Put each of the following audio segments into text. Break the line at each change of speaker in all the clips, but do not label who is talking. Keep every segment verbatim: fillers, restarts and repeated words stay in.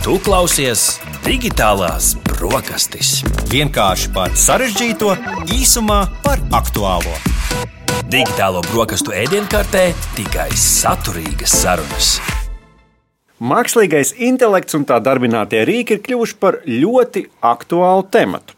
Tu klausies Digitālās brokastis.
Vienkārši par sarežģīto, īsumā par aktuālo.
Digitālo brokastu ēdienkartē tikai saturīgas sarunas.
Mākslīgais intelekts un tā darbinātie rīki ir kļuvuši par ļoti aktuālu tematu.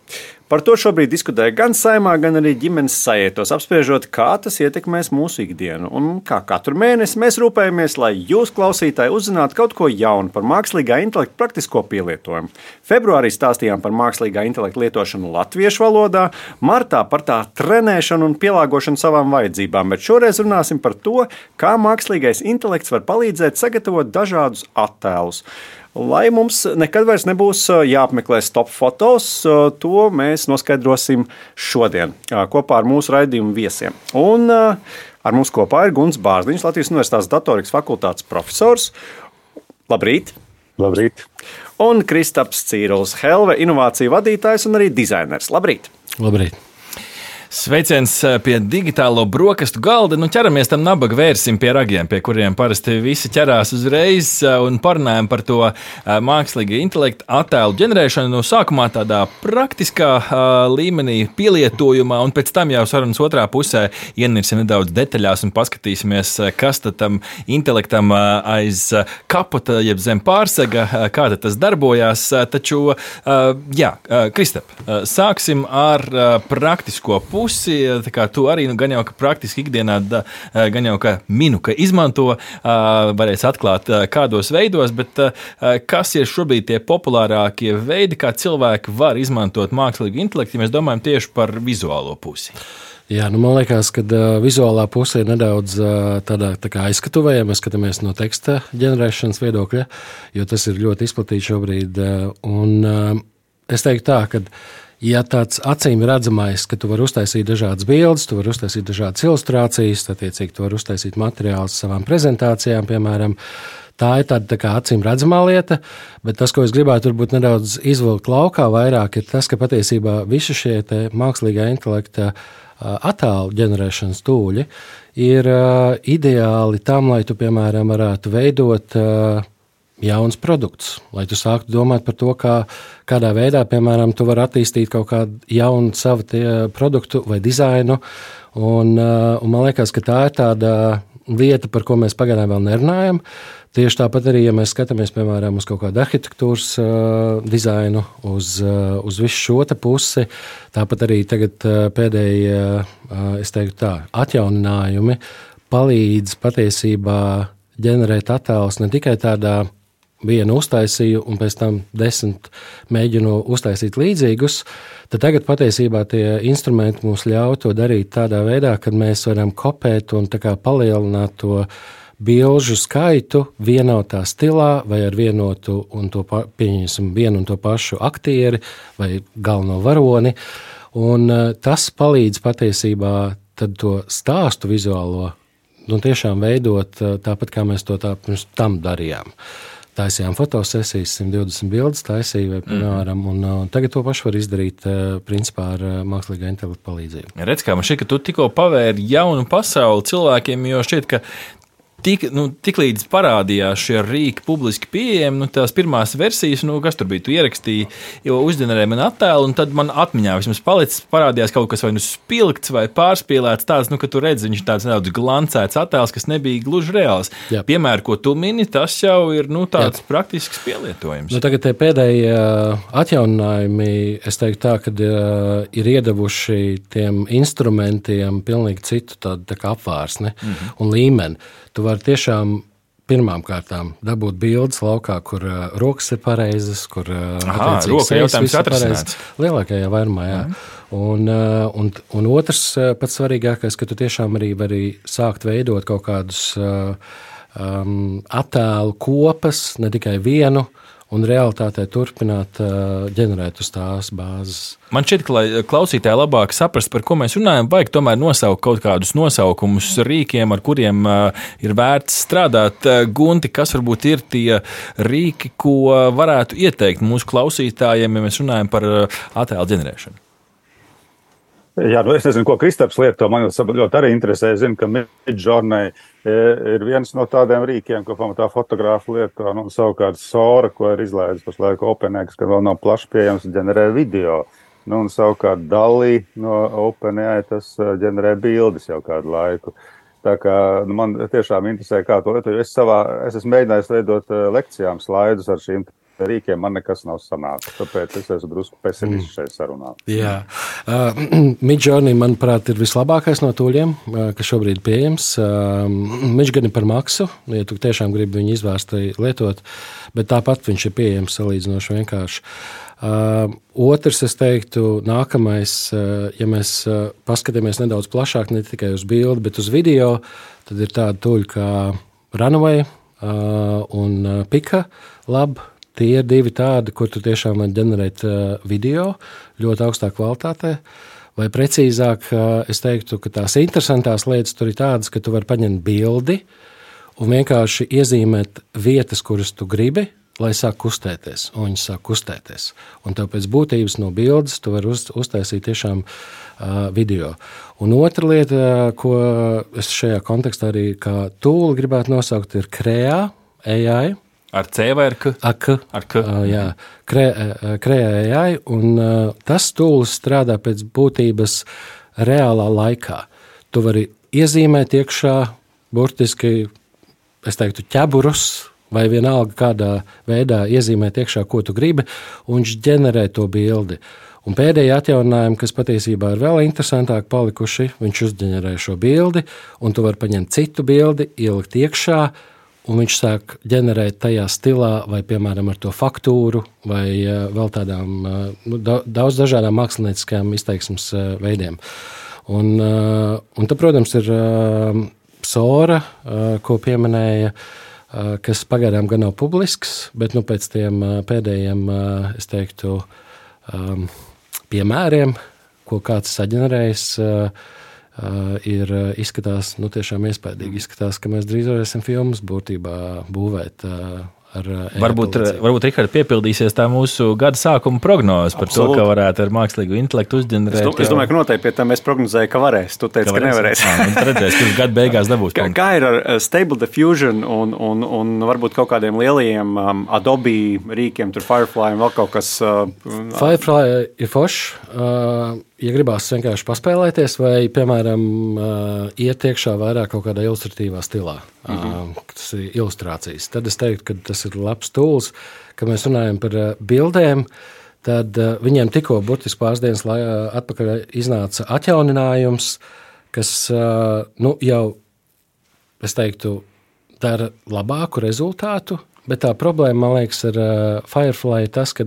Par to šobrīd diskutē gan Saeimā, gan arī ģimenes sajietos, apspriežot, kā tas ietekmēs mūsu ikdienu. Un kā katru mēnesi mēs rūpējamies, lai jūs, klausītāji, uzzinātu kaut ko jaunu par mākslīgā intelekta praktisko pielietojumu. Februārī stāstījām par mākslīgā intelekta lietošanu latviešu valodā, martā par tā trenēšanu un pielāgošanu savām vajadzībām, bet šoreiz runāsim par to, kā mākslīgais intelekts var palīdzēt sagatavot dažādus attēlus. Lai mums nekad vairs nebūs jāapmeklē stop fotos, to mēs noskaidrosim šodien kopā ar mūsu raidījumu viesiem. Un ar mums kopā ir Gunts Bārziņš, Latvijas Universitātes datorikas fakultātes profesors. Labrīt!
Labrīt!
Un Kristaps Cīrulis, Helve inovāciju vadītājs un arī dizainers. Labrīt!
Labrīt!
Sveiciens pie digitālo brokastu galda. Nu, ķeramies tam nabaga vērsim pie ragiem, pie kuriem parasti visi ķerās uzreiz, un parunājam par to mākslīgā intelekta attēlu ģenerēšanu. No sākumā tādā praktiskā līmenī pielietojumā, un pēc tam jau sarunas otrā pusē ienirsim nedaudz detaļās un paskatīsimies, kas tad tam intelektam aiz kapota, jeb zem pārsega, kā tad tas darbojās. Taču, jā, Kristap, sāksim ar praktisko pusi. Tā kā tu arī nu, gan jau ka praktiski ikdienā, da, gan jau ka minu, ka izmanto, varēs atklāt kādos veidos, bet kas ir šobrīd tie populārākie veidi, kā cilvēki var izmantot mākslīgu intelektu, ja mēs domājam tieši par vizuālo pusi?
Jā, nu man liekas, ka uh, vizuālā puse ir nedaudz uh, tādā tā kā aizskatuvē, ja mēs skatāmies no teksta ģenerēšanas viedokļa, jo tas ir ļoti izplatīts šobrīd. Uh, un uh, es teiktu tā, ka ja tāds acīm redzamais, ka tu vari uztaisīt dažādas bildes, tu vari uztaisīt dažādas ilustrācijas, attiecīgi tu vari uztaisīt materiālus savām prezentācijām, piemēram, tā ir tāda tā kā acīm redzamā lieta, bet tas, ko es gribētu varbūt nedaudz izvilkt laukā vairāk, ir tas, ka patiesībā visi šie te mākslīgā intelekta attēlu ģenerēšanas tūļi ir ideāli tam, lai tu, piemēram, varētu veidot jauns produkts, lai tu sāktu domāt par to, kā, kādā veidā, piemēram, tu vari attīstīt kaut kādu jaunu savu produktu vai dizainu. Un, un man liekas, ka tā ir tāda lieta, par ko mēs pagaidām vēl nerunājam. Tieši tāpat arī, ja mēs skatāmies, piemēram, uz kaut kādu arhitektūras uh, dizainu, uz, uh, uz visu šo te pusi, tāpat arī tagad uh, pēdējie, uh, es teiktu tā, atjauninājumi palīdz patiesībā ģenerēt attēlus ne tikai tādā vienu uztaisīju un pēc tam desmit mēģinu uztaisīt līdzīgus, tad tagad patiesībā tie instrumenti mums ļauj to darīt tādā veidā, kad mēs varam kopēt un tā kā palielināt to bilžu skaitu vienotā stilā vai ar vienotu un to, pieņemsim, vienu un to pašu aktieri vai galveno varoni. Un tas palīdz patiesībā tad to stāstu vizuālo nu, tiešām veidot tāpat, kā mēs to tā pirms tam darījām. Taisījām fotosesijas, simt divdesmit bildes taisīja, vai, piemēram, un, un tagad to pašu var izdarīt principā ar mākslīgā intelekta palīdzību.
Redz, kā man šķiet, ka tu tikko pavēri jaunu pasauli cilvēkiem, jo šķiet, ka Tik, nu, tik līdz parādījās šie rīki publiski pieejami, nu, tās pirmās versijas, nu, kas tur bija, tu ierakstīji, jo uzģenerēji man attēlu, un tad man atmiņā vismaz palicis, parādījās kaut kas vai nu spilgts vai pārspīlēts tāds, nu, ka tu redzi, viņš tāds nedaudz glancēts attēls, kas nebija gluži reāls. Jā. Piemēram, ko tu mini, tas jau ir, nu, tāds Jā. Praktisks pielietojums.
Nu, tagad tie pēdējie atjauninājumi, es teiktu tā, kad uh, ir iedavuši tiem instrumentiem pilnīgi citu tādu tā kā apvārsni mm-hmm. un līmeni. Tu vari tiešām pirmām kārtām dabūt bildes laukā, kur uh, rokas ir pareizas, kur uh,
Aha, roka jautājums atrisināts.
Lielākajā vairumā, jā. Mm. Un, uh, un, un otrs uh, pats svarīgākais, ka tu tiešām arī vari sākt veidot kaut kādus uh, um, attēlu kopas, ne tikai vienu, un realitātē turpināt uh, ģenerēt uz tās bāzes.
Man šķiet, ka, lai klausītāji labāk saprast, par ko mēs runājam, vajag tomēr nosaukt kaut kādus nosaukumus rīkiem, ar kuriem uh, ir vērts strādāt. Uh, Gunti, kas varbūt ir tie rīki, ko varētu ieteikt mūsu klausītājiem, ja mēs runājam par uh, attēlu ģenerēšanu?
Jā, nu es nezinu, ko Kristaps lieto. Man ļoti arī interesē. Es zinu, ka Midjourney ir viens no tādiem rīkiem, ko pamatā fotografi lieto. Nu, savukārt Sora, ko ir izlaidis pašlaik OpenAI, kas vēl nav plaši pieejams, ģenerē video. Nu, un savukārt Dali no OpenAI tas ģenerē bildes jau kādu laiku. Tā kā nu, man tiešām interesē, kā to lietot. Es, savā, es esmu mēģinājis veidot lekcijām slaidus ar šīm rīkiem, man nekas nav sanācis. Tāpēc es esmu drusku pesimists šeit sarunā.
Jā. Uh, Midjourney, manuprāt, ir vislabākais no tūļiem, uh, kas šobrīd pieejams. Uh, viņš gan ir par maksu, ja tu tiešām gribi viņu izvērsti lietot, bet tāpat viņš ir pieejams salīdzinoši vienkārši. Uh, otrs, es teiktu, nākamais, uh, ja mēs uh, paskatāmies nedaudz plašāk, ne tikai uz bildi, bet uz video, tad ir tāda tūļa kā Runway uh, un uh, Pika Lab. Tie ir divi tādi, kur tu tiešām vari ģenerēt uh, video ļoti augstā kvalitātē. Vai precīzāk, uh, es teiktu, ka tās interesantās lietas tur ir tādas, ka tu vari paņemt bildi un vienkārši iezīmēt vietas, kuras tu gribi, lai sāk kustēties, un viņi sāk kustēties. Un tev pēc būtības no bildes tu vari uz, uztaisīt tiešām uh, video. Un otra lieta, ko es šajā kontekstā arī kā tūli gribētu nosaukt, ir Krea A I.
Ar C vai ar K?
Ar K.
Ar K.
Uh, jā, Krea A I, un uh, tas tūlis strādā pēc būtības reālā laikā. Tu vari iezīmēt iekšā burtiski, es teiktu, ķeburus, vai vienalga kādā veidā iezīmēt iekšā, ko tu gribi, un viņš ģenerē to bildi. Un pēdējie atjauninājumi, kas patiesībā ir vēl interesantāk palikuši, viņš uzģenerē šo bildi, un tu vari paņemt citu bildi, ielikt iekšā, un viņš sāk ģenerēt tajā stilā, vai, piemēram, ar to faktūru, vai uh, vēl tādām uh, daudz dažādām mākslinieckajām izteiksmes uh, veidiem. Un, uh, un tad, protams, ir uh, Sora, uh, ko pieminēja, uh, kas pagaidām gan nav publisks, bet nu, pēc tiem uh, pēdējiem, uh, es teiktu, um, piemēriem, ko kāds saģenerējis, uh, Uh, ir izskatās, nu tiešām iespaidīgi izskatās, ka mēs drīz varēsim filmas būtībā būvēt uh, ar
Varbūt, varbūt Rihards, piepildīsies tā mūsu gada sākuma prognoze par Absolut. To, ka varētu ar mākslīgu intelektu uzģenerēt.
Es, es domāju, ka noteikti pie tā mēs prognozējam, ka varēs. Tu teici, ka, ka nevarēs.
Jā, tad redzēs, kurš gada beigās dabūs.
Kā, kā ir ar Stable Diffusion un, un, un varbūt kaut kādiem lielajiem um, Adobe rīkiem, tur Firefly un vēl kaut kas? Uh,
Firefly ir foršs. Uh, ja gribās vienkārši paspēlēties vai, piemēram, uh, iet iekšā vairāk kaut kādā ilustratīvā stilā, mm-hmm. uh, tas ir ilustrācijas, tad es teiktu, ka tas ir labs tūls, ka mēs runājam par uh, bildēm, tad uh, viņiem tikko burtiski pāris dienas lai, uh, atpakaļ iznāca atjauninājums, kas uh, nu, jau, es teiktu, dara labāku rezultātu, bet tā problēma, man liekas, ar uh, Firefly ir tas, ka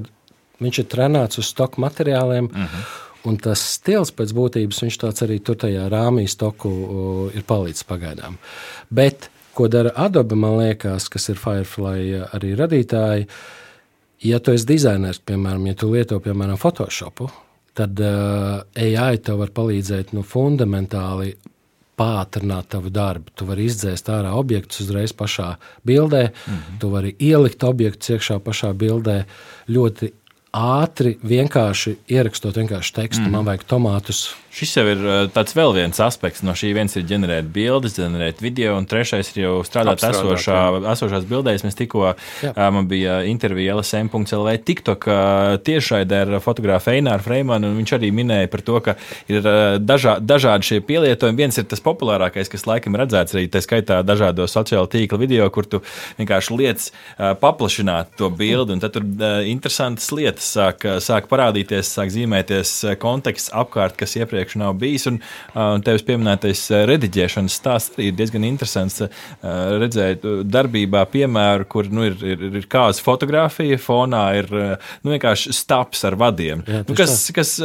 viņš ir trenēts uz stoku materiāliem, mm-hmm. Un tas stils pēc būtības, viņš tāds arī tur tajā rāmī stoku ir palīdzis pagaidām. Bet, ko dara Adobe, man liekas, kas ir Firefly arī radītāji, ja tu esi dizainers, piemēram, ja tu lieto, piemēram, Photoshopu, tad uh, A I tev var palīdzēt nu, fundamentāli pātrināt tavu darbu. Tu vari izdzēst ārā objektus uzreiz pašā bildē, mm-hmm. tu vari ielikt objektus iekšā pašā bildē ļoti ātri, vienkārši ierakstot vienkārši tekstu, mm. man vajag tomātus.
Šis jau ir tāds vēl viens aspekts. No šī viens ir ģenerēt bildes, ģenerēt video, un trešais ir jau strādāt esošā, esošās bildēs. Mēs tikko, jā. Man bija intervija L S M punkt L V TikTok tiešraidē ar fotografu Eināru Freimanu, un viņš arī minēja par to, ka ir dažā, dažādi šie pielietojumi. Viens ir tas populārākais, kas laikam redzēts arī, tā skaitā dažādo sociālo tīklu video, kur tu vienkārši liec paplašināt to bildi, un tad tur interesantas lietas sāk, sāk parādīties, sāk zīmēties konteksts apkārt, kas iepriekš nav bijis, un, un tevis pieminētais rediģēšanas stāsts arī ir diezgan interesants redzēt darbībā piemēru, kur nu, ir, ir, ir kāds fotografija, fonā ir nu, vienkārši staps ar vadiem, Jā, nu, kas, kas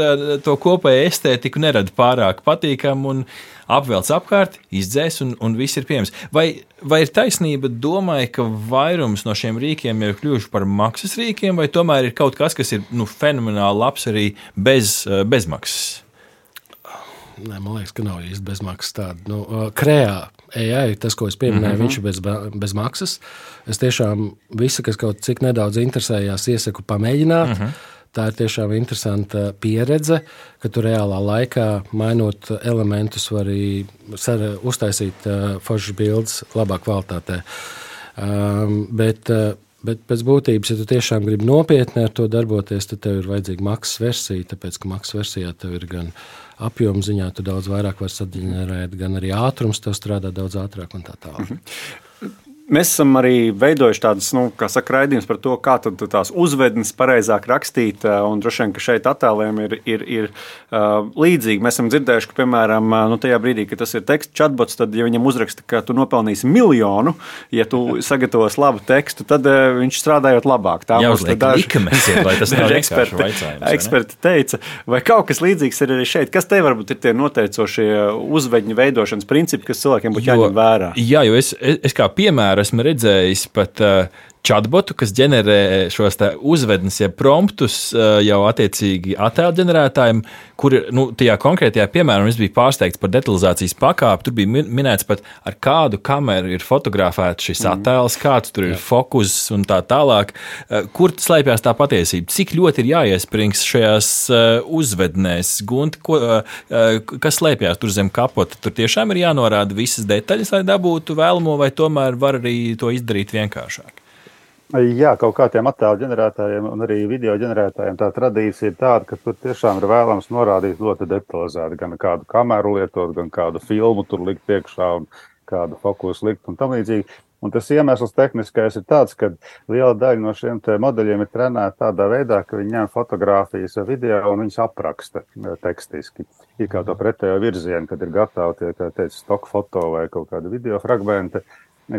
to kopēju estētiku nerada pārāk patīkam un apvelc apkārt, izdzēs un, un viss ir pieejams. Vai, vai ir taisnība domāja, ka vairums no šiem rīkiem ir kļuvuši par maksas rīkiem, vai tomēr ir kaut kas, kas ir nu, fenomenāli labs arī bez, bez maksas?
Nē, man liekas, ka nav īsti bezmaksas tāda. Nu, Krea A I, tas, ko es pieminēju, mm-hmm. viņš ir bez, bez maksas. Es tiešām visu, kas kaut cik nedaudz interesējās, iesaku pamēģināt. Mm-hmm. tā ir tiešām interesanta pieredze, ka tu reālā laikā, mainot elementus, var arī uztaisīt foršas bildes labā kvalitātē. Um, bet, bet pēc būtības, ja tu tiešām gribi nopietni ar to darboties, tad tev ir vajadzīga maksas versija, tāpēc, ka maksas versijā tev ir gan apjoma ziņā, tu daudz vairāk var saģenerēt, gan arī ātrums tev strādā daudz ātrāk un tā tālāk.
Mhm. Mēs esam arī veidojuši tādas, nu, kā saka, raidījums par to, kā tad tās uzvednes pareizāk rakstīt, un droši vien, ka šeit attēliem ir, ir, ir uh, līdzīgi. Mēs esam dzirdējuši, ka, piemēram, nu, tajā brīdī, kad tas ir teksts chatbots, tad, ja viņam uzraksta, ka tu nopelnīsi miljonu, ja tu sagatavos labu tekstu, tad uh, viņš strādājot labāk. Tā
jāuzliek likames, vai tas nav vienkārši vaicājums.
Eksperti teica, vai kaut kas līdzīgs ir arī šeit. Kas te varbūt ir tie noteicošie uzvedņu veidošanas principi, kas cilvēkiem būtu jāņem vērā?
Jā, jo es, es, es kā piemēru esmu redzējis pat uh, chatbotu, kas ģenerē šos uzvednes, ja promptus uh, jau attiecīgi attēlu ģenerētājiem, kur, nu, tajā konkrētajā piemērā, un es biju pārsteigts par detalizācijas pakāpi, tur bija minēts pat, ar kādu kameru ir fotografēts šis mm. attēls, kāds tur ir Jā. Fokus un tā tālāk. Uh, kur slēpjas tā patiesība? Cik ļoti ir jāiesprings šajās uh, uzvednēs? Gunti, ko, uh, kas slēpjas tur zem kapota? Tur tiešām ir jānorāda visas detaļas, lai dabūtu vēlamo, vai tomēr var arī to izdarīt vienkāršāk?
Jā, kaut kā tiem attēlu ģenerētājiem un arī video ģenerētājiem tā tradīcija ir tāda, ka tur tiešām ir vēlams norādīt ļoti detalizēti, gan kādu kameru lietot, gan kādu filmu tur likt iekšā un kādu fokusu likt un tam līdzīgi. Un tas iemesls tehniskais ir tāds, ka liela daļa no šiem te modeļiem ir trenēta tādā veidā, ka viņi ņem fotogrāfijas vai video un viņas apraksta tekstiski. Ir kā to pretējo virzienu, kad ir gatavi tie, kā teica, stock foto vai kaut kādi video fragmenti,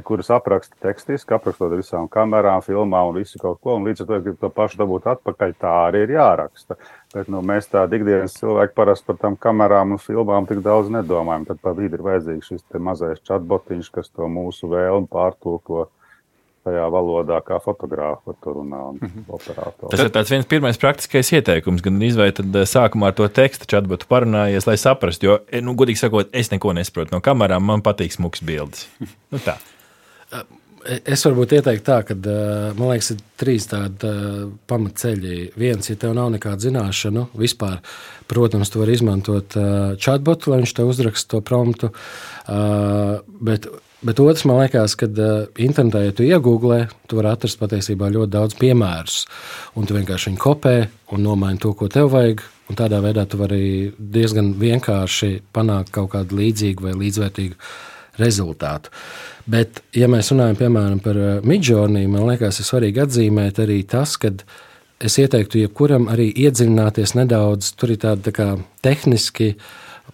kuras apraksta tekstiski, aprakstot visām kamerām, filmām un visu kaut ko, un līdz ar to, ja grib to pašu dabūt atpakaļ, tā arī ir jāraksta. Bet nu, mēs tā ikdienas cilvēki parasti par tām kamerām un filmām tik daudz nedomājam, tad pa vidi ir vajadzīgs šis te mazais chatbotiņš, kas to mūsu vēlmi pārtulko tajā valodā, kā fotogrāfi par to runā un mm-hmm. operātori.
Tas ir tāds viens pirmais praktiskais ieteikums, gan izvēj tad sākumā ar to tekstu chatbotu parunājies, lai saprastu, jo, nu, godīgi sakot, es neko nesaprotu no kamerām, man patīk smuks bildes. Nu tā.
Es varbūt ieteiktu tā, ka, man liekas, ir trīs tādi pamatceļi. Viens, ja tev nav nekāda zināšanu vispār, protams, tu vari izmantot chatbotu, lai viņš tev uzraksta to promptu, bet, bet otrs, man liekas, ka internetā, ja tu iegūglē, tu vari atrast patiesībā ļoti daudz piemērus, un tu vienkārši viņu kopē un nomaini to, ko tev vajag, un tādā veidā tu vari diezgan vienkārši panākt kaut kādu līdzīgu vai līdzvērtīgu rezultātu. Bet, ja mēs runājam, piemēram, par Midjourney, man liekas, ir svarīgi atzīmēt arī tas, ka es ieteiktu jebkuram arī iedziļināties nedaudz, tur ir tāda tā kā tehniski,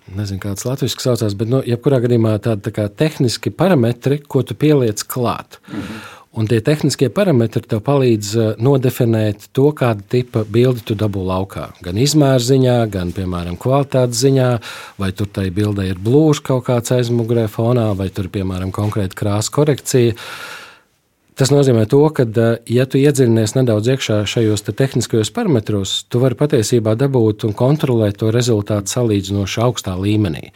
nezinu, kāds latviski saucās, bet, nu, jebkurā gadījumā tāda tā kā tehniski parametri, ko tu pieliec klāt. Mm-hmm. Un tie tehniskie parametri tev palīdz nodefinēt to, kāda tipa bildi tu dabū laukā. Gan izmēra ziņā, gan, piemēram, kvalitātes ziņā, vai tur tai bildē ir blūžs kaut kāds aizmugurē fonā, vai tur, piemēram, konkrēta krāsa korekcija. Tas nozīmē to, ka, ja tu iedziļinies nedaudz iekšā šajos te tehniskajos parametros, tu vari patiesībā dabūt un kontrolēt to rezultātu salīdzinoši augstā līmenī.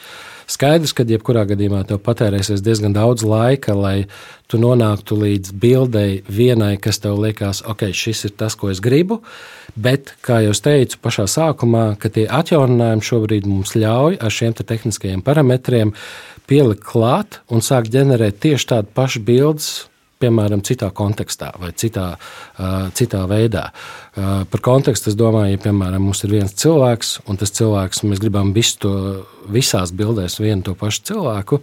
Skaidrs, ka jebkurā gadījumā tev patērēsies diezgan daudz laika, lai tu nonāktu līdz bildei vienai, kas tev liekas, ok, šis ir tas, ko es gribu, bet, kā jau es teicu pašā sākumā, ka tie atjauninājumi šobrīd mums ļauj ar šiem te tehniskajiem parametriem pielikt klāt un sākt ģenerēt tieši tādu pašu bildes, piemēram, citā kontekstā vai citā, uh, citā veidā. Uh, par kontekstu es domāju, ja, piemēram, mums ir viens cilvēks, un tas cilvēks, mēs gribam visu to, visās bildēs vienu to pašu cilvēku,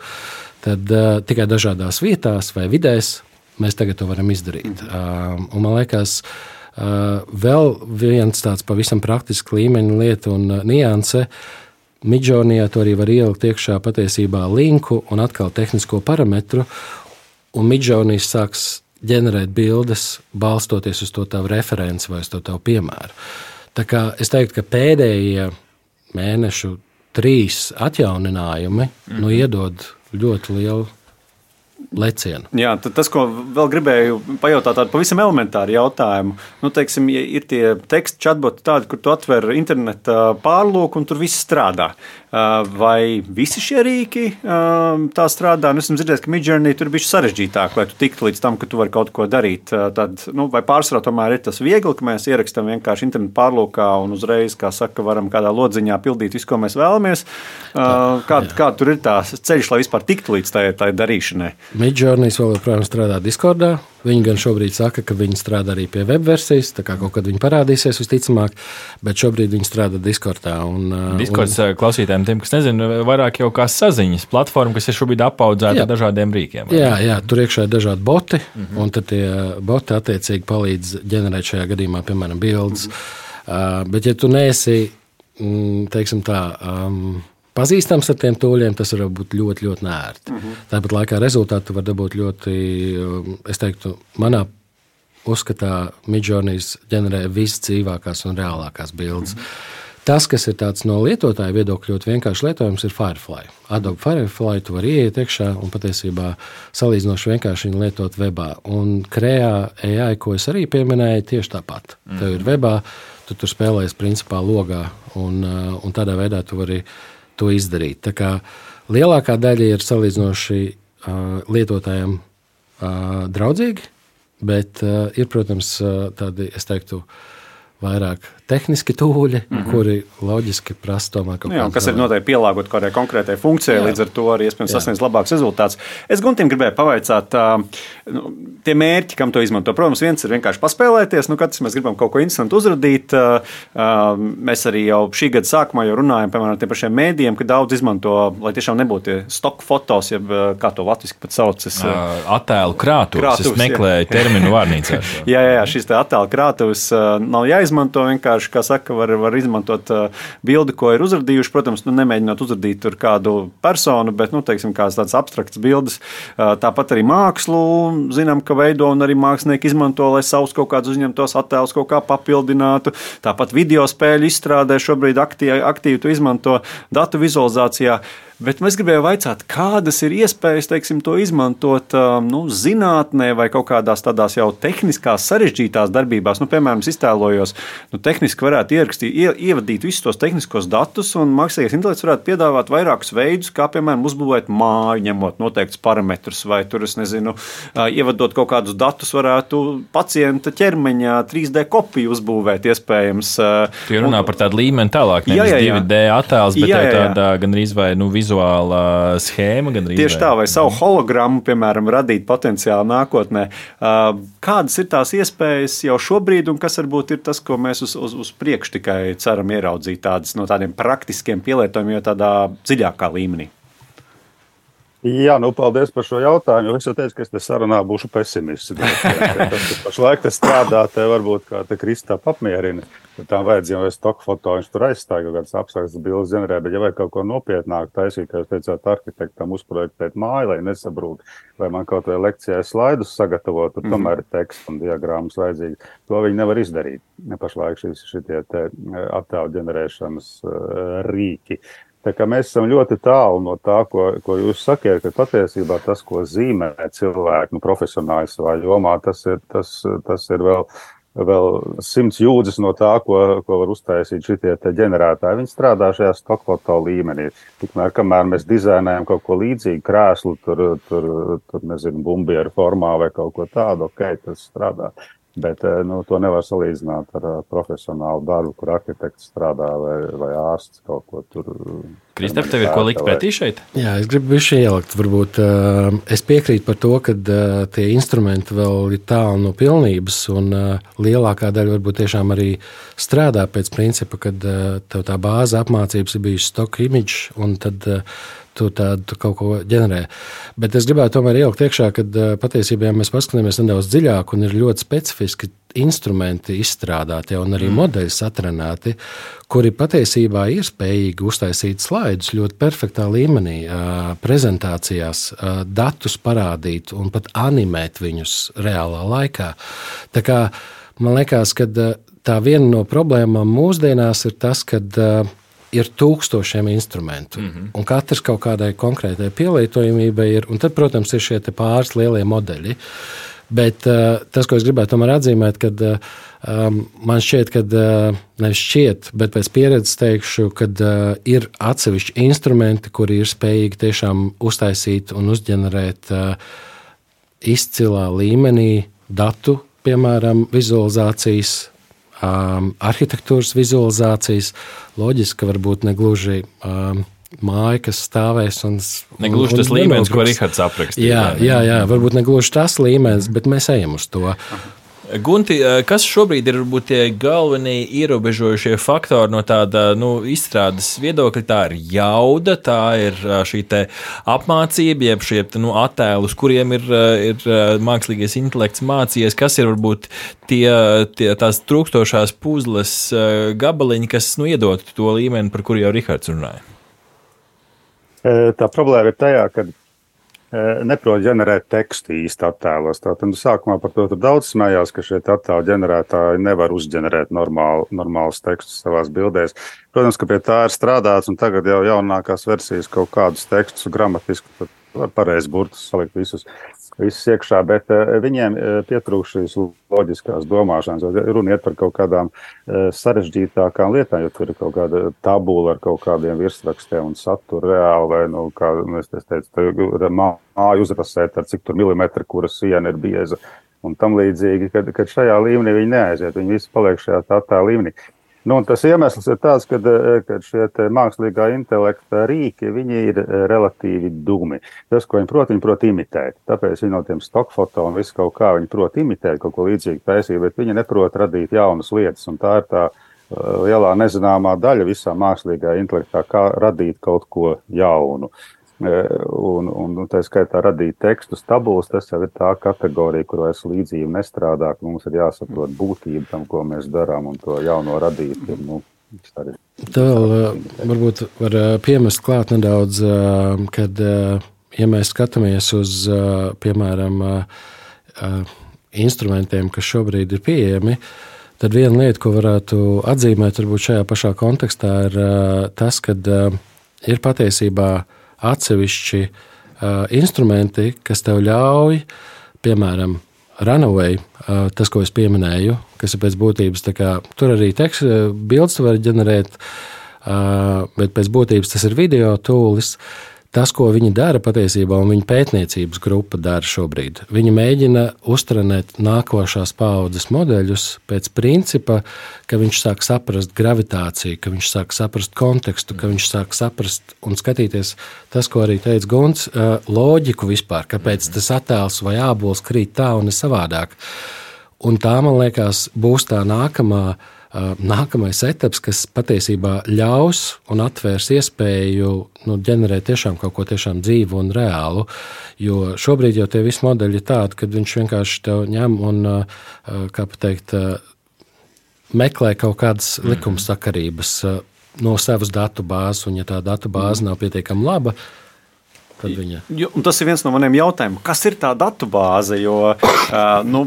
tad uh, tikai dažādās vietās vai vidēs mēs tagad to varam izdarīt. Uh, un man liekas, uh, vēl viens tāds pavisam praktiski līmeņa lieta un uh, nianse, Midjourneyā to arī var ielikt iekšā patiesībā linku un atkal tehnisko parametru, un Midjourney sāks ģenerēt bildes, balstoties uz to tavu referenci vai uz to tavu piemēru. Tā kā es teiktu, ka pēdējie mēnešu trīs atjauninājumi mm-hmm. nu, iedod ļoti lielu lecienu.
Jā, tas, ko vēl gribēju pajautāt, tādu pavisam elementāru jautājumu. Nu, teiksim, ir tie teksti chatboti tādi, kur tu atver interneta pārlūku un tur viss strādā. Vai visi šie rīki tā strādā? Nu, esmu dzirdējis, ka Midjourney tur ir bišķi sarežģītāk, lai tu tiktu līdz tam, ka tu vari kaut ko darīt. Tad, nu, vai pārsvarā tomēr ir tas viegli, ka mēs ierakstam vienkārši internetu pārlūkā un uzreiz, kā saka, varam kādā lodziņā pildīt visu, ko mēs vēlamies. Kā, kā tur ir tās ceļš, lai vispār tiktu līdz tai, tai darīšanai?
Midjourney vēl joprojām strādā Discordā. Viņi gan šobrīd saka, ka viņi strādā arī pie web versijas, tā kā kaut kad viņi parādīsies visticamāk, bet šobrīd viņi strādā Discordā. Un,
Discords
un,
klausītājiem, tiem, kas nezina, vairāk jau kā saziņas platforma, kas ir šobrīd apaudzēta ar dažādiem rīkiem.
Jā, jā, tur iekšā ir dažādi boti, mm-hmm. un tad tie boti attiecīgi palīdz ģenerēt šajā gadījumā, piemēram, bildes. Mm-hmm. Uh, bet ja tu neesi, mm, teiksim tā, um, pazīstams ar tiem tūļiem, tas var būt ļoti, ļoti nērti. Mm-hmm. Tāpat laikā rezultātu var dabūt ļoti, es teiktu, manā uzskatā Midjourney ģenerē visdzīvākās un reālākās bildes. Mm-hmm. Tas, kas ir tāds no lietotāja viedokļa ļoti vienkārši lietojams, ir Firefly. Adobe Firefly tu vari ieiet iekšā un patiesībā salīdzinoši vienkārši viņu lietot webā. Un Krea A I, ko es arī pieminēju, tieši tāpat. Mm-hmm. Tev ir webā, tu tur spēlējies principā logā un, un tādā veidā tu vari to izdarīt. Tā kā lielākā daļa ir salīdzinoši uh, lietotājiem uh, draudzīgi, bet uh, ir, protams, uh, tādi, es teiktu, vairāk tehniski tūļi, mm-hmm. kuri loģiski prasa tomēr kaut
kādu. Kas ir noteikti pielāgot kādai konkrētai funkcijai, jā. Līdz ar to arī iespējams sasniedz labāks rezultāts. Es Guntim gribēju pavaicāt, nu, tie mērķi, kam to izmanto. Protams, viens ir vienkārši paspēlēties, nu katrs mēs gribam kaut ko interesantu uzradīt. Mēs arī jau šī gada sākumā jau runājam, piemēram, tiem pašiem mēdījiem, ka daudz izmanto, lai tiešām nebūtu tie stock fotos, jeb kā to latviski pat saucas.
Attēlu krātuves. Es meklēju terminu vārnīcā.
jā, jā, jā, šis te attēlu krātuves nav jāizmanto vienkārši. Kā saka, var, var izmantot uh, bildi, ko ir uzradījuši. Protams, nu, nemēģinot uzradīt tur kādu personu, bet, nu, teiksim, kāds tāds abstrakts bildes. Uh, tāpat arī mākslu zinām, ka veido un arī mākslinieki izmanto, lai savus kaut kādus uzņemtos attēlus kaut kā papildinātu. Tāpat video spēļu izstrādē šobrīd aktīvi, aktīvi to izmanto datu vizualizācijā. Bet mēs gribējām vaicāt, kādas ir iespējas, teiksim, to izmantot nu, zinātnē vai kaut kādās tādās jau tehniskās sarežģītās darbībās. Nu, piemēram, es iztēlojos, nu, tehniski varētu ierakstīt, ie, ievadīt visus tos tehniskos datus, un mākslīgais intelekts varētu piedāvāt vairākus veidus, kā, piemēram, uzbūvēt māju, ņemot noteiktus parametrus, vai tur, es nezinu, ievadot kaut kādus datus, varētu pacienta ķermeņa trīs D kopiju uzbūvēt, iespējams.
Tu runā un, par tādu līmeni tālāk, nevis jā, jā, jā. divi D attēls, bet jā, jā, jā. tāda gandrīz vai, nu, vizuāla schēma.
Tieši tā, vai savu hologrammu, piemēram, radīt potenciāli nākotnē. Kādas ir tās iespējas jau šobrīd, un kas varbūt ir tas, ko mēs uz, uz, uz priekšu tikai ceram ieraudzīt tādas no tādiem praktiskiem pielietojumiem, jo tādā dziļākā līmenī?
Jā, nu, paldies par šo jautājumu. Es jau teicu, ka es te sarunā būšu pesimists. Tas, ka pašlaik te strādā, te varbūt kā te Kristap apmierina. Tām vajadzēja jau stock foto, viņš tur aizstāja kaut kādas abstraktas bildes ģenerē, bet ja vajag kaut ko nopietnāk taisīt, kā jūs teicāt, arhitektam uzprojektēt māju, lai nesabrūk, vai man kaut vai lekcijai slaidus sagatavot, tur mm-hmm. tomēr ir teksts un diagrammas vajadzīgi. To viņi nevar izdarīt. Pašlaik šis šitie te attēlu ģenerēšanas uh, rīki. Tā kā mēs esam ļoti tālu no tā, ko, ko jūs sakiet, ka patiesībā tas, ko zīmē cilvēki, nu, profesionāļi savā jomā, tas ir, tas, tas ir vēl, vēl simts jūdzes no tā, ko, ko var uztaisīt šitie te ģenerētāji. Viņi strādā šajā stokfoto līmenī. Tikmēr, kamēr mēs dizainējam kaut ko līdzīgu, krēslu, tur, tur, tur nezinu, bumbieru formā vai kaut ko tādu, ok, tas strādā. Bet nu, to nevar salīdzināt ar profesionālu darbu, kur arhitekts strādā vai, vai ārsts kaut ko tur.
Kristap, tev ir ko likt pretī šeit?
Jā, es gribu bišķi ielikt. Varbūt uh, es piekrītu par to, ka uh, tie instrumenti vēl ir tālu no pilnības, un uh, lielākā daļa varbūt tiešām arī strādā pēc principa, kad uh, tev tā bāze apmācības ir bijusi stock image, un tad uh, tu tādu kaut ko ģenerē. Bet es gribētu tomēr ielikt iekšā, ka uh, patiesībā mēs paskatāmies nedaudz dziļāk, un ir ļoti specifiski instrumenti izstrādāti un arī mm. modeļi satrenēti, kuri patiesībā ir spējīgi uztaisīt slaidus ļoti perfektā līmenī, prezentācijās, datus parādīt un pat animēt viņus reālā laikā. Tā kā man liekas, ka tā viena no problēmām mūsdienās ir tas, ka ir tūkstošiem instrumentu, mm-hmm. un katrs kaut kādai konkrētai pielietojamībai ir, un tad, protams, ir šie pāris lielie modeļi. Bet uh, tas, ko es gribētu tomēr atzīmēt, kad uh, man šķiet, ka uh, nevis šķiet, bet pēc pieredzes teikšu, ka uh, ir atsevišķi instrumenti, kuri ir spējīgi tiešām uztaisīt un uzģenerēt uh, izcilā līmenī datu, piemēram, vizualizācijas, um, arhitektūras vizualizācijas, loģiski varbūt negluži um, māja, kas stāvēs un...
Negluži tas līmenis, ko Rihards aprakstīja.
Jā, jā, jā, varbūt negluži tas līmenis, bet mēs ejam uz to.
Gunti, kas šobrīd ir varbūt tie galvenie ierobežojušie faktori no tāda nu, izstrādes viedokļa? Tā ir jauda, tā ir šī te apmācība, jeb šie nu, attēli, uz kuriem ir, ir mākslīgais intelekts mācījies. Kas ir varbūt tie, tie tās trūkstošās puzles gabaliņi, kas nu, iedod to līmeni, par kuru jau Rihards runāja?
Tā problēma ir tajā, ka neprot ģenerēt tekstu īsti attēlos. Tātad sākumā par to tur daudz smējās, ka šie attēlu ģenerētāji nevar uzģenerēt normālu, normālus tekstus savās bildēs. Protams, ka pie tā ir strādāts, un tagad jau jaunākās versijas kaut kādus tekstus gramatiski var pareizi burtus salikt visus, visus iekšā, bet viņiem pietrūkst šīs loģiskās domāšanas. Runa iet par kaut kādām sarežģītākām lietām, jo tur ir kaut kāda tabula ar kaut kādiem virsrakstiem un saturu reāli, vai, nu, kā es teicu, māju uzrasēt ar cik tur milimetri, kura siena ir bieza un tam līdzīgi, kad, kad šajā līmenī viņi neaiziet, viņi visi paliek šajā tā, tā līmenī. Nu, tas iemesls ir tāds, ka, ka šie mākslīgā intelekta rīki, viņi ir relatīvi dumi. Tas, ko viņi prot, viņi prot imitēt. Tāpēc viņi no tiem stokfoto un visu kaut kā viņi prot imitēt, kaut ko līdzīgu taisīt, bet viņi neprot radīt jaunas lietas. Un tā ir tā lielā nezināmā daļa visā mākslīgā intelektā, kā radīt kaut ko jaunu. Un, un tā skaitā radīt tekstus, tabulas, tas jau ir tā kategorija, kur vairs līdzība nestrādā, ka mums ir jāsaprot būtība tam, ko mēs darām, un to jauno radīt. Nu,
tā vēl varbūt var piemest klāt nedaudz, kad, ja mēs skatāmies uz, piemēram, instrumentiem, kas šobrīd ir pieejami, tad viena lieta, ko varētu atzīmēt varbūt šajā pašā kontekstā, ir tas, kad ir patiesībā atsevišķi uh, instrumenti, kas tev ļauj, piemēram, Runaway, uh, tas, ko es pieminēju, kas ir pēc būtības, tā kā, tur arī teksts, bildes tu vari ģenerēt, uh, bet pēc būtības tas ir video tūlis. Tas, ko viņi dara patiesībā, un viņa pētniecības grupa dara šobrīd, viņi mēģina uztrenēt nākošās paaudzes modeļus pēc principa, ka viņš sāk saprast gravitāciju, ka viņš sāk saprast kontekstu, ka viņš sāk saprast un skatīties tas, ko arī teica Gunts, loģiku vispār, kāpēc tas attēls vai ābols krīt tā un ne savādāk. Un tā, man liekas, būs tā nākamā Nākamais etaps, kas patiesībā ļaus un atvērs iespēju nu, ģenerēt tiešām kaut ko tiešām dzīvu un reālu, jo šobrīd jau tie visi modeļi ir tādi, kad viņš vienkārši tev ņem un, kā pateikt, meklē kaut kādas likumsakarības no savas datu bāzes, un ja tā datu bāze nav pietiekami laba, tad viņa...
Jo, un tas ir viens no maniem jautājumiem. Kas ir tā datubāze? Jo uh, nu,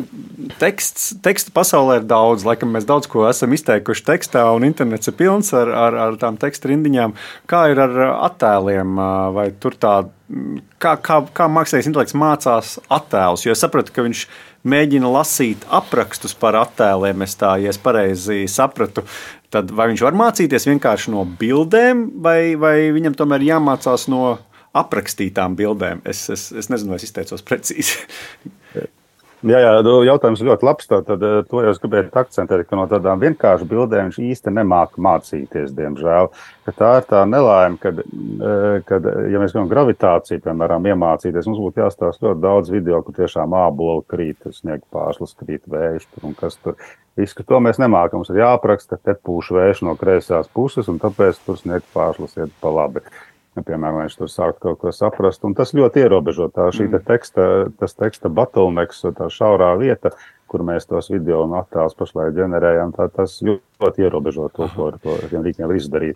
teksts, teksta pasaulē ir daudz. Laikam mēs daudz ko esam izteikuši tekstā, un internets ir pilns ar, ar, ar tām teksta rindiņām. Kā ir ar attēliem? Vai tur tā, kā, kā, kā mākslīgais intelekts mācās attēlus? Jo es sapratu, ka viņš mēģina lasīt aprakstus par attēliem. Es tā, ja es pareizi sapratu, tad vai viņš var mācīties vienkārši no bildēm, vai, vai viņam tomēr jāmācās no aprakstītām bildēm? Es, es, es nezinu, vai es izteicos precīzi.
Jā, jā, jautājums ļoti labs. Tad to jau es gribēju akcentēt, ka no tādām vienkārši bildēm viņš īsti nemāka mācīties, diemžēl. Ka tā ir tā nelaime, kad, kad ja mēs gribam gravitāciju, piemēram, iemācīties, mums būtu jāstāsta ļoti daudz video, kur tiešām āboli krīt, sniega pārslas krīt, vējš tur un kas tur. Viss, ka to mēs nemākam. Mums ir jāapraksta, ka te pūš vējš no kreisās puses, un tāpēc tur sniega pārslas iet pa labi. Piemēram, viņš tur sāk kaut ko saprast, un tas ļoti ierobežo tā šī te teksta, tas teksta bottlenecks, tā šaurā vieta, kur mēs tos video un attēlus pašlaik ģenerējam, tā, tas ļoti ierobežo to, ko ar to rīkiem var izdarīt.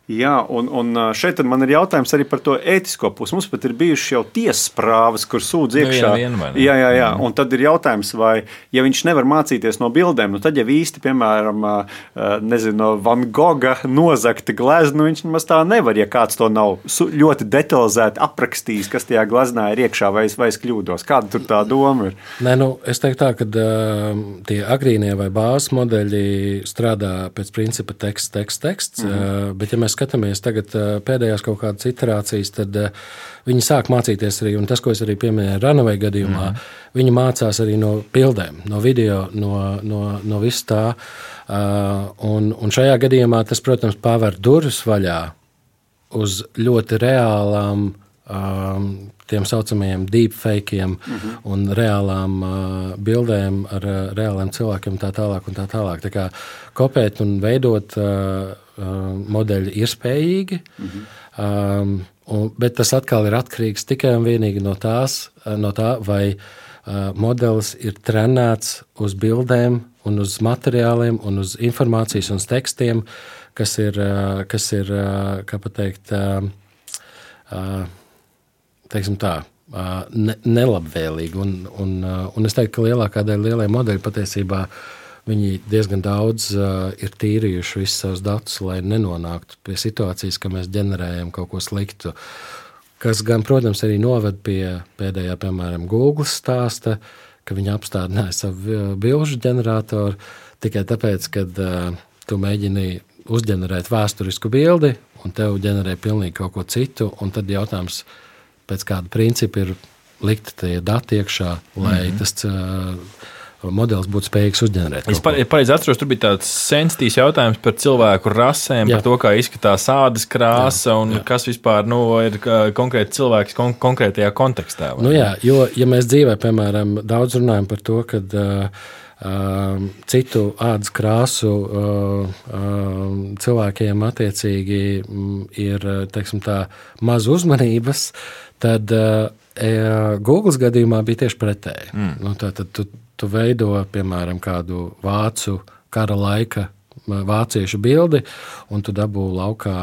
Jā, un, un šeit man ir jautājums arī par to ētisko pusi. Mums pat ir bijušas jau tiesas prāvas, kur sūdz iekšā.
Nu, vien,
jā, jā, jā. Un tad ir jautājums, vai, ja viņš nevar mācīties no bildēm, nu tad jau īsti, piemēram, nezinu, no Van Gogha nozagta glezna, viņš nemaz tā nevar, ja kāds to nav ļoti detalizēti aprakstījis, kas tajā gleznā ir iekšā, vai es, vai es kļūdos. Kāda tur tā doma ir?
Nē, nu, es teiktu tā, ka uh, tie agrīnie vai bāzes modeļi strādā pēc principa teksts, teksts, teksts, mm-hmm. uh, bet ja mēs skatāmies tagad pēdējās kaut kādas iterācijas, tad viņi sāk mācīties arī, un tas, ko es arī pieminēju Runaway gadījumā, mm. viņi mācās arī no bildēm, no video, no, no, no viss tā. Un, un šajā gadījumā tas, protams, paver durvis vaļā uz ļoti reālām tiem saucamajiem deepfakiem mm-hmm. un reālām bildēm ar reāliem cilvēkiem tā tālāk un tā tālāk. Tā kā kopēt un veidot modeļi ir spējīgi, mm-hmm. um, un, bet tas atkal ir atkarīgs tikai un vienīgi no, tās, no tā, vai uh, modelis ir trenēts uz bildēm un uz materiāliem un uz informācijas un uz tekstiem, kas ir, uh, kas ir uh, kā pateikt, uh, uh, teiksim tā, uh, ne, nelabvēlīgi. Un, un, uh, un es teiktu, ka lielākā daļa lielie modeļi patiesībā viņi diezgan daudz uh, ir tīrījuši visus savus datus, lai nenonāktu pie situācijas, ka mēs ģenerējam kaut ko sliktu. Kas gan, protams, arī noved pie pēdējā, piemēram, Google stāsta, ka viņi apstādināja savu bilžu ģeneratoru tikai tāpēc, ka uh, tu mēģini uzģenerēt vēsturisku bildi un tev ģenerē pilnīgi kaut ko citu, un tad jautājums pēc kāda principa ir likt tie dati iekšā, lai mm-hmm. tas uh, modelis būtu spējīgs uzģenerēt.
Es pareizi atceros, tur bija tāds sensitīvs jautājums par cilvēku rasēm, jā. Par to, kā izskatās ādas krāsa jā, un jā. Kas vispār nu, ir konkrēti cilvēks kon- konkrētajā kontekstā.
Nu jā, jo, ja mēs dzīvē, piemēram, daudz runājam par to, kad uh, uh, citu ādas krāsu uh, uh, cilvēkiem attiecīgi mm, ir, teiksim tā, maz uzmanības, tad uh, Google gadījumā bija tieši pretēji. Mm. Nu, tātad tu Tu veido, piemēram, kādu vācu kara laika vāciešu bildi, un tu dabū laukā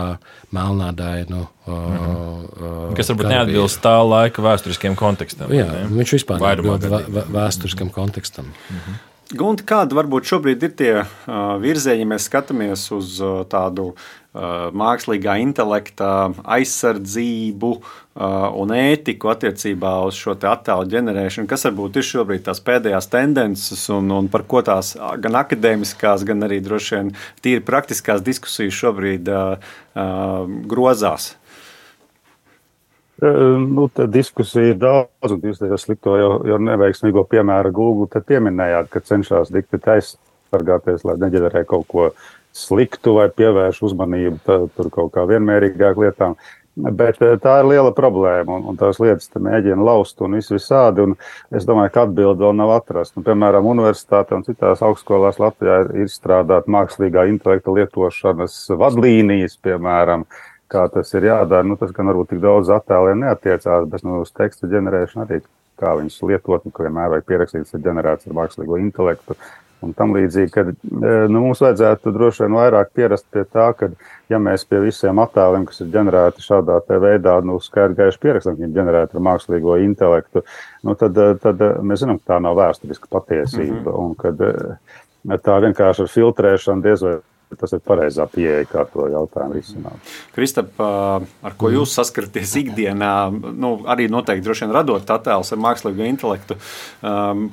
melnādainu. Mm-hmm.
Kas varbūt neatbilst tā laika vēsturiskiem kontekstam.
Jā, ne? Viņš vispār neatbilst vē, vēsturiskam kontekstam.
Mm-hmm. Gunti, kādi varbūt šobrīd ir tie uh, virzieni, ja mēs skatāmies uz uh, tādu uh, mākslīgā intelekta aizsardzību uh, un ētiku attiecībā uz šo te attēlu ģenerēšanu? Kas varbūt ir šobrīd tās pēdējās tendences un, un par ko tās gan akadēmiskās, gan arī droši vien tīri praktiskās diskusijas šobrīd uh, uh, grozās?
Nu, tā diskusija ir daudz, un jūs tajā slikto jau, jau neveiksmīgo piemēru Google te pieminējāt, ka cenšas dikti aizsargāties, lai neģenerē kaut ko sliktu vai pievērš uzmanību tā, tur kaut kā vienmērīgāk lietām. Bet tā ir liela problēma, un, un tās lietas te mēģina laust un visu visādi, un es domāju, ka atbildi vēl nav atrast. Un, piemēram, universitāte un citās augstskolās Latvijā ir izstrādāt mākslīgā intelekta lietošanas vadlīnijas, piemēram, kā tas ir jādara. Nu, tas gan varbūt tik daudz attēliem neatiecās, bet nu, uz teksta ģenerēšanu arī, kā viņus lietot, un vienmēr vajag pierakstīts ir ģenerēts ar mākslīgo intelektu un tam līdzīgi, ka nu, mums vajadzētu droši vien vairāk pierast pie tā, ka ja mēs pie visiem attēliem, kas ir ģenerēti šādā te veidā, nu, skaidri gaiši pierakstam, ka viņi ģenerēti ar mākslīgo intelektu, nu, tad, tad mēs zinām, ka tā nav vēsturiska patiesība, mm-hmm. un kad tā vienkārši ar filtrēšanu diez vai tas ir pareizā pieeja, kā to jautājumu risināt.
Kristap, ar ko jūs saskaraties ikdienā, nu, arī noteikti droši vien radot attēlus ar mākslīgo intelektu,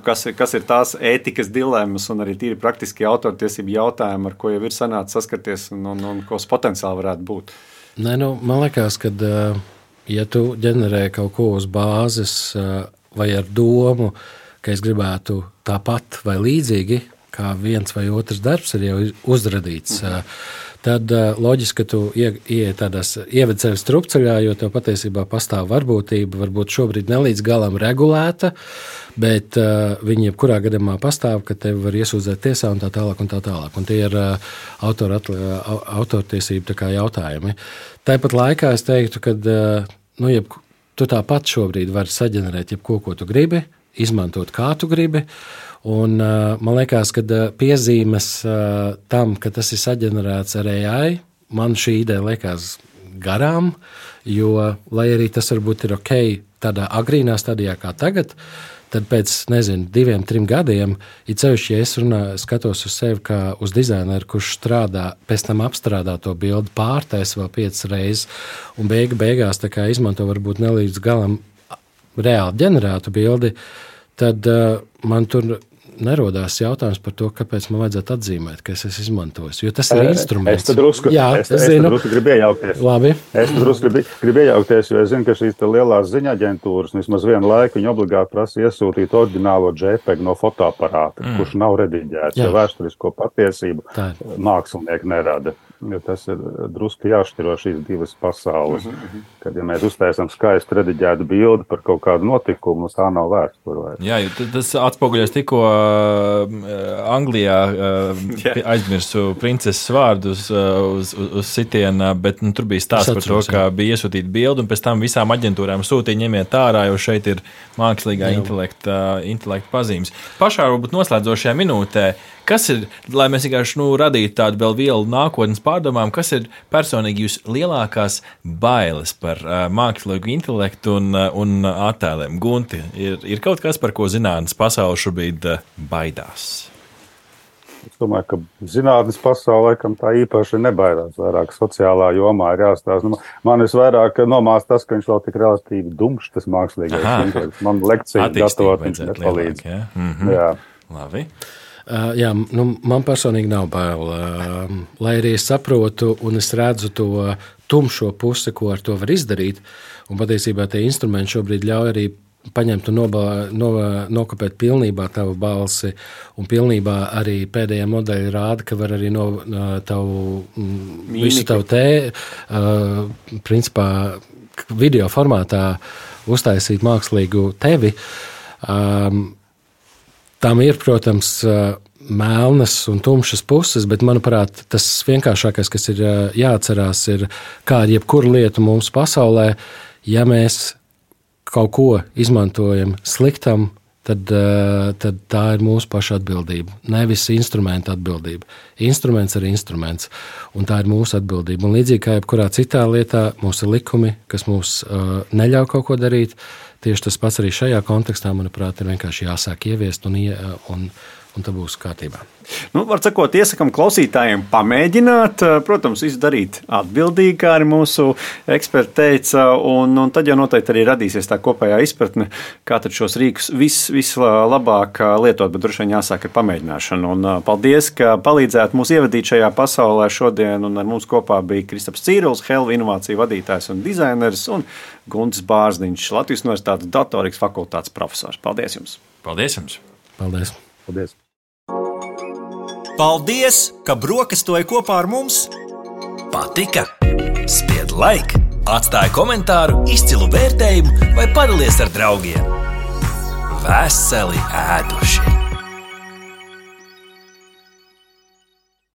kas ir, kas ir tās ētikas dilemmas un arī tīri praktiski autortiesību jautājumi, ar ko jau ir sanācis saskarties un, un, un ko potenciāli varētu būt?
Nē, nu, man liekas, ka, ja tu ģenerē kaut ko uz bāzes vai ar domu, ka es gribētu tāpat vai līdzīgi, kā viens vai otrs darbs ir jau uzradīts, mm-hmm. tad loģiski, ka tu ieej tādās, ieved sevi strupceļā, jo tev patiesībā pastāv varbūtība, varbūt šobrīd ne līdz galam regulēta, bet uh, viņi jebkurā gadījumā pastāv, ka tevi var iesūdzēt tiesā un tā tālāk un tā tālāk. Un tie ir uh, autor atli, uh, autortiesību tā kā jautājumi. Tāpat laikā es teiktu, ka uh, nu, jeb, tu tāpat šobrīd vari saģenerēt jebko, ko tu gribi, izmantot kā tu gribi. Un, uh, man liekas, ka uh, piezīmes uh, tam, ka tas ir saģenerēts ar A I, man šī ideja liekas garām, jo, lai arī tas varbūt ir ok tādā agrīnā stadijā kā tagad, tad pēc, nezinu, diviem, trim gadiem, ir cevišķi, ja es runā, skatos uz sevi kā uz dizaineru, kurš strādā, pēc tam apstrādā to bildi, pārtais vēl piecas reizes, un beigu beigās tā kā izmanto varbūt nelīdz galam reāli ģenerētu bildi, tad uh, man tur nerodās jautājums par to, kāpēc man vajadzētu atzīmēt, ka es esmu izmantojis. Jo tas ir instruments.
Es te drusku,
Jā,
es, es
zinu.
te drusku gribu iejaukties.
Labi.
Es te drusku gribu, gribu iejaukties, jo es zinu, ka šīs te lielās ziņa aģentūras vismaz vienu laiku viņi obligāti prasa iesūtīt oriģinālo JPEG no fotoaparāta, mm. kurš nav rediģēts, jo vēsturisko patiesību mākslinieki nerada. Jo tas ir drusku jāšķiro šīs divas pasaules. Mm-hmm. Kad, ja mēs uztaisam skaistu rediģētu bildi par kaut kādu notikumu, tā nav vēsture.
Jā, tas atspoguļojas tikko uh, Anglijā uh, aizmirsu princeses vārdus uh, uz, uz, uz sitiena, bet nu, tur bija stāsts par to, ka bija iesūtīta bildi, un pēc tam visām aģentūrām sūtīja ņemiet ārā, jo šeit ir mākslīgā intelekta, intelekta pazīmes. Pašā varbūt noslēdzošajā minūtē, kas ir, lai mēs vienkārši nu, radītu tādu vēl vielu nākotnes pārdomām, kas ir personīgi jūs lielākās bailes par uh, mākslīgu intelektu un, uh, un attēliem? Gunti, ir, ir kaut kas, par ko zinātnes pasaule šobrīd uh, baidās?
Es domāju, ka zinātnes pasaule laikam tā īpaši nebaidās. Vairāk sociālā jomā ir jāstāsta. Nu, man visvairāk nomāst tas, ka viņš vēl tik relatīvi dumšs, tas mākslīgais intelekts. Man lekcija gatavot viņš nepalīdz.
Ja? Mm-hmm.
Jā.
Labi.
Uh, jā, nu, man personīgi nav bail. Uh, lai arī es saprotu un es redzu to tumšo pusi, ko ar to var izdarīt, un patiesībā tie instrumenti šobrīd ļauj arī paņemt un noba, no, nokopēt pilnībā tavu balsi, un pilnībā arī pēdējā modeļa rāda, ka var arī no tavu, visu tavu te, uh, principā, video formātā uztaisīt mākslīgu tevi. Um, Tam ir, protams, melnas un tumšas puses, bet, manuprāt, tas vienkāršākais, kas ir jāatcerās, ir, kā ar jebkuru lietu mums pasaulē, ja mēs kaut ko izmantojam sliktam, tad, tad tā ir mūsu paša atbildība, nevis instrumenta atbildība. Instruments ir instruments, un tā ir mūsu atbildība. Un līdzīgi kā jebkurā citā lietā, mums ir likumi, kas mums uh, neļauj kaut ko darīt. Tieši tas pats arī šajā kontekstā, manuprāt, ir vienkārši jāsāk ieviest un, un, un tā būs kārtībā.
Nu, var sakot, iesakam klausītājiem pamēģināt, protams, izdarīt atbildīgi, kā arī mūsu eksperti teica, un, un tad jau noteikti arī radīsies tā kopējā izpratne, kā tad šos rīkus vis, vislabāk lietot, bet droši vien jāsāk ar pamēģināšanu. Un paldies, ka palīdzētu mūs ievadīt šajā pasaulē šodien, un ar mums kopā bija Kristaps Cīrulis, Helva inovāciju vadītājs un dizainers, un Guntis Bārzdiņš, Latvijas Universitātes datorikas fakultātes profesors. Paldies jums!
Paldies jums!
Paldies!
Paldies!
Paldies, ka brokastoji kopā ar mums!
Patika? Spied like, atstāj komentāru, izcilu vērtējumu vai padalies ar draugiem. Veseli ēduši!